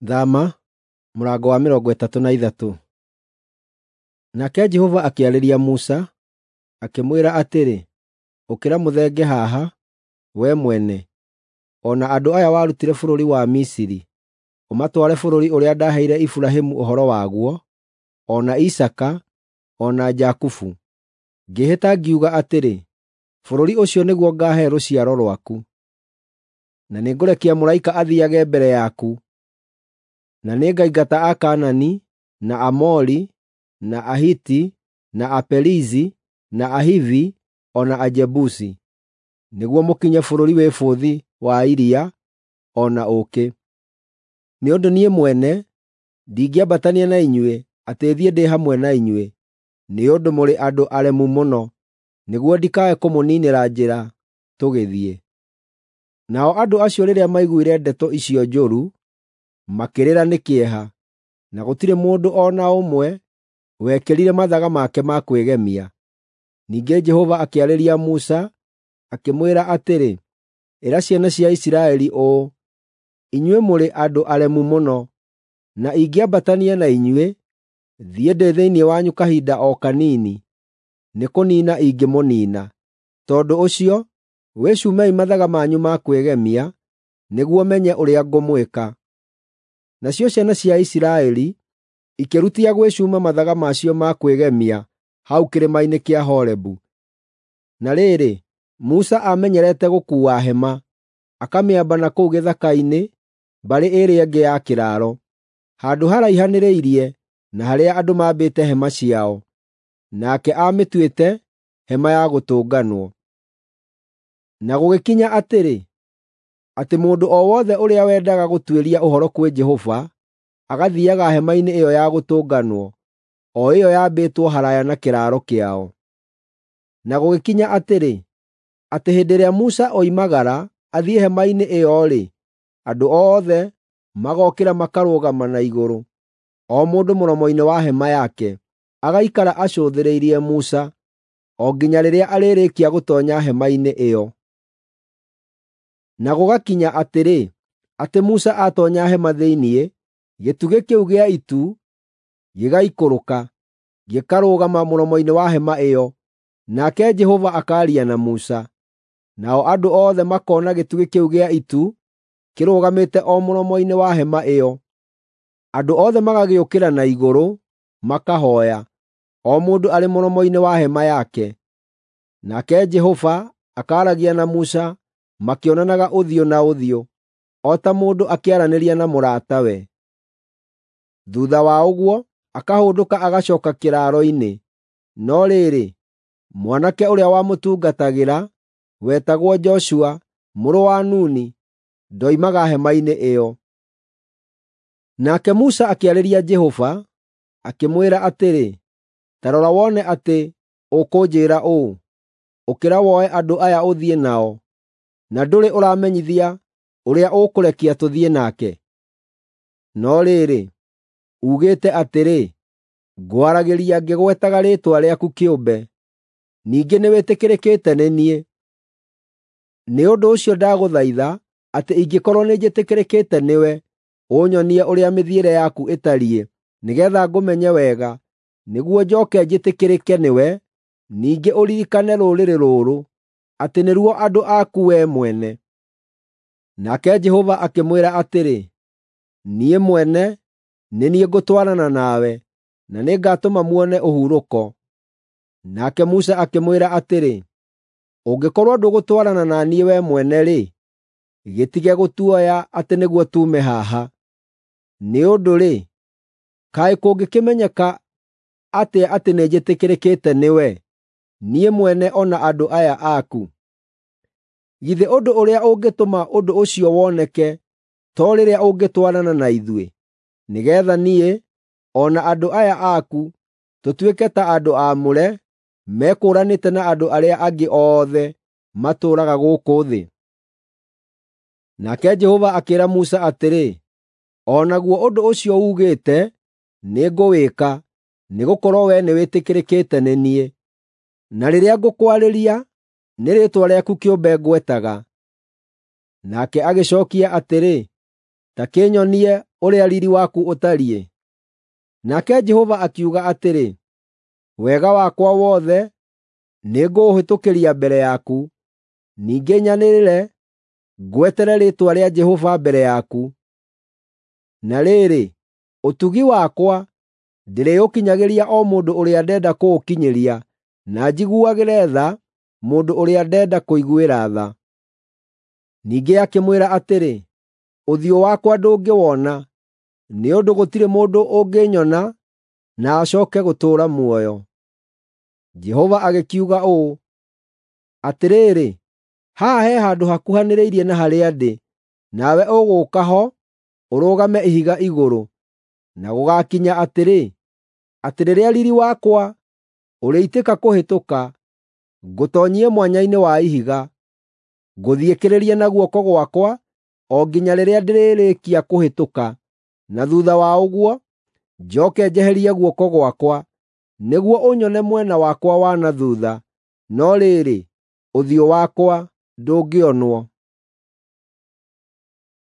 Thama mũrango wa 33. Nake Jehova akĩarĩria Musa, akĩmwĩra atĩrĩ, “Ũkĩra mũthenge haha, wee mwene, o na andũ aya warutire bũrũri wa Misiri, ũmatware bũrũri ũrĩa ndaaheire Iburahĩmu ũhoro waguo, o na Isaaka, o na Jakubu. Ngĩĩhĩta ngiuga atĩrĩ, ‘Bũrũri ũcio nĩguo ngaahe rũciaro rwaku.’ Na nĩngũrekia mũraika athiiage mbere yaku, na nĩngaingata Akaanani, na Aamori, na Ahiti, na Aperizi, na Ahivi, o na Ajebusi, nĩguo mũkinye bũrũri wĩ bũthi wa iria, o na ũũkĩ. Nĩ ũndũ niĩ mwene ndingĩambatania na inyuĩ atĩ thiĩ ndĩ hamwe na inyuĩ, nĩ ũndũ mũrĩ andũ aremu mũno, nĩguo ndikae kũmũniinĩra njĩra tũgĩthiĩ.” Nao andũ acio rĩrĩa maiguire ndeto icio njũru, makĩrĩra nĩ kĩeha, na gũtirĩ mũndũ o na ũmwe wekĩrire mathaga make ma kwĩgemia. Ningĩ Jehova akĩarĩria Musa, akĩmwĩra atĩrĩ, “Ĩra ciana cia Isiraeli ũũ, ‘Inyuĩ mũrĩ andũ aremu mũno, na ingĩambatania na inyuĩ, thiĩ ndĩ thĩinĩ wanyu kahinda o kanini, nĩkũniina ingĩmũniina. Tondũ ũcio, wĩcumei mathaga manyu ma kwĩgemia, nĩguo menye ũrĩa ngũmwĩka.’ ” Nacio ciana cia Isiraeli ikĩrutia gwĩcuma mathaga macio ma kwĩgemia hau kĩrĩma-inĩ kĩa Horebu. Na rĩrĩ, Musa aamenyerete gũkuua hema, akamĩamba na kũu gĩthaka-inĩ mbarĩ ĩrĩa ĩngĩ ya kĩraaro, handũ haraihanĩrĩirie na harĩa andũ maambĩte hema ciao. Nake aamĩtuĩte Hema-ya-Gũtũnganwo. Na gũgĩkinya atĩrĩ, atĩ mũndũ o wothe ũrĩa wendaga gũtuĩria ũhoro kwĩ Jehova agathiiaga hema-inĩ ĩyo ya Gũtũnganwo, o ĩyo yaambĩtwo haraaya na kĩraaro kĩao. Na gũgĩkinya atĩrĩ, atĩ hĩndĩ ĩrĩa Musa oimagara athiĩ hema-inĩ ĩyo-rĩ, andũ othe magookĩra makarũgama na igũrũ, o mũndũ mũromo-inĩ wa hema yake, agaikara acũthĩrĩirie Musa o nginya rĩrĩa arĩrĩkia gũtoonya hema-inĩ ĩyo. Na gũgakinya atĩrĩ, atĩ Musa aatoonya hema thĩinĩ, gĩtugĩ kĩu gĩa itu gĩgaikũrũka, gĩkarũgama mũromo-inĩ wa hema ĩyo, nake Jehova akaaria na Musa. Nao andũ othe makoona gĩtugĩ kĩu gĩa itu kĩrũgamĩte o mũromo-inĩ wa hema ĩyo. Andũ othe magagĩũkĩra na igũrũ, makahooya, o mũndũ arĩ mũromo-inĩ wa hema yake. Nake Jehova akaaragia na Musa makĩonanaga ũthiũ na ũthiũ, o ta mũndũ akĩaranĩria na mũratawe. Thuutha wa ũguo, akahũndũka agacooka kĩraaro-inĩ. No rĩrĩ, mwanake ũrĩa wamũtungatagĩra, wetagwo Joshua mũrũ wa Nuni, ndoimaga hema-inĩ ĩyo. Nake Musa akĩarĩria Jehova, akĩmwĩra atĩrĩ, “Ta rora wone atĩ ũkũnjĩĩra ũũ, ‘Ũkĩra woe andũ aya ũthiĩ nao,’ na ndũrĩ ũramenyithia ũrĩa ũkũrekia tũthiĩ nake. No rĩrĩ, uugĩte atĩrĩ, ‘Ngwaragĩria ngĩgwetaga rĩĩtwa rĩaku kĩũmbe, ningĩ nĩwĩtĩkĩrĩkĩte nĩ niĩ.’ Nĩ ũndũ ũcio ndagũthaitha atĩ ingĩkorwo nĩnjĩtĩkĩrĩkĩte nĩwe, ũnyonie ũrĩa mĩthiĩre yaku ĩtariĩ, nĩgeetha ngũmenye wega, nĩguo njooke njĩtĩkĩrĩke nĩwe, ningĩ ũririkane rũrĩrĩ rũrũ, atĩ nĩruo andũ aku wee mwene.” Nake Jehova akĩmwĩra atĩrĩ, “Niĩ mwene nĩ niĩ ngũtwarana nawe, na nĩngatũma muone ũhurũko.” Nake Musa akĩmwĩra atĩrĩ, “Ũngĩkorwo ndũgũtwarana na niĩ wee mwene-rĩ, gĩtige gũtuoya atĩ nĩguo tuume haha. Nĩ ũndũ-rĩ, kaĩ kũngĩkĩmenyeka atĩa atĩ nĩnjĩtĩkĩrĩkĩte nĩwe, niĩ mwene o na andũ aya aku? Githĩ ũndũ ũrĩa ũngĩtũma ũndũ ũcio woneke to rĩrĩa ũngĩtwarana na ithuĩ, nĩgeetha niĩ o na andũ aya aku tũtuĩke ta andũ aamũre, mekũũranĩte na andũ arĩa angĩ othe matũũraga gũkũ thĩ?” Nake Jehova akĩĩra Musa atĩrĩ, “O naguo ũndũ ũcio uugĩte nĩngũwĩka, nĩgũkorwo wee nĩwĩtĩkĩrĩkĩte nĩ niĩ. Na rĩrĩa ngũkwarĩria, nĩ rĩĩtwa rĩaku kĩũmbe ngwetaga.” Nake agĩcookia atĩrĩ, “Ta kĩnyonie ũrĩa riiri waku ũtariĩ?” Nake Jehova akiuga atĩrĩ, “Wega wakwa wothe nĩngũũhĩtũkĩria mbere yaku, ningĩ nyanĩrĩre ngwetere rĩĩtwa rĩa Jehova mbere yaku. Na rĩrĩ, ũtugi wakwa ndĩrĩũkinyagĩria o mũndũ ũrĩa ndenda kũũkinyĩria, na njiguagĩre tha mũndũ ũrĩa ndenda kũiguĩra tha.” Ningĩ akĩmwĩra atĩrĩ, “Ũthiũ wakwa ndũngĩwona, nĩ ũndũ gũtirĩ mũndũ ũngĩnyona na acooke gũtũũra muoyo.” Jehova agĩkiuga ũũ, “Atĩrĩrĩ, haha he handũ hakuhanĩrĩirie na harĩa ndĩ, nawe ũgũũka ho ũrũgame ihiga igũrũ. Na gũgaakinya atĩrĩ, atĩ rĩrĩa riiri wakwa ũrĩitĩka kũhĩtũka, ngũtoonyie mwanya-inĩ wa ihiga, ngũthiĩkĩrĩrie na guoko gwakwa o nginya rĩrĩa ndĩrĩrĩkia kũhĩtũka, na thuutha wa ũguo njooke njeherie guoko gwakwa, nĩguo ũnyone mwena wakwa wa na thuutha, no rĩrĩ, ũthiũ wakwa ndũngĩonwo.”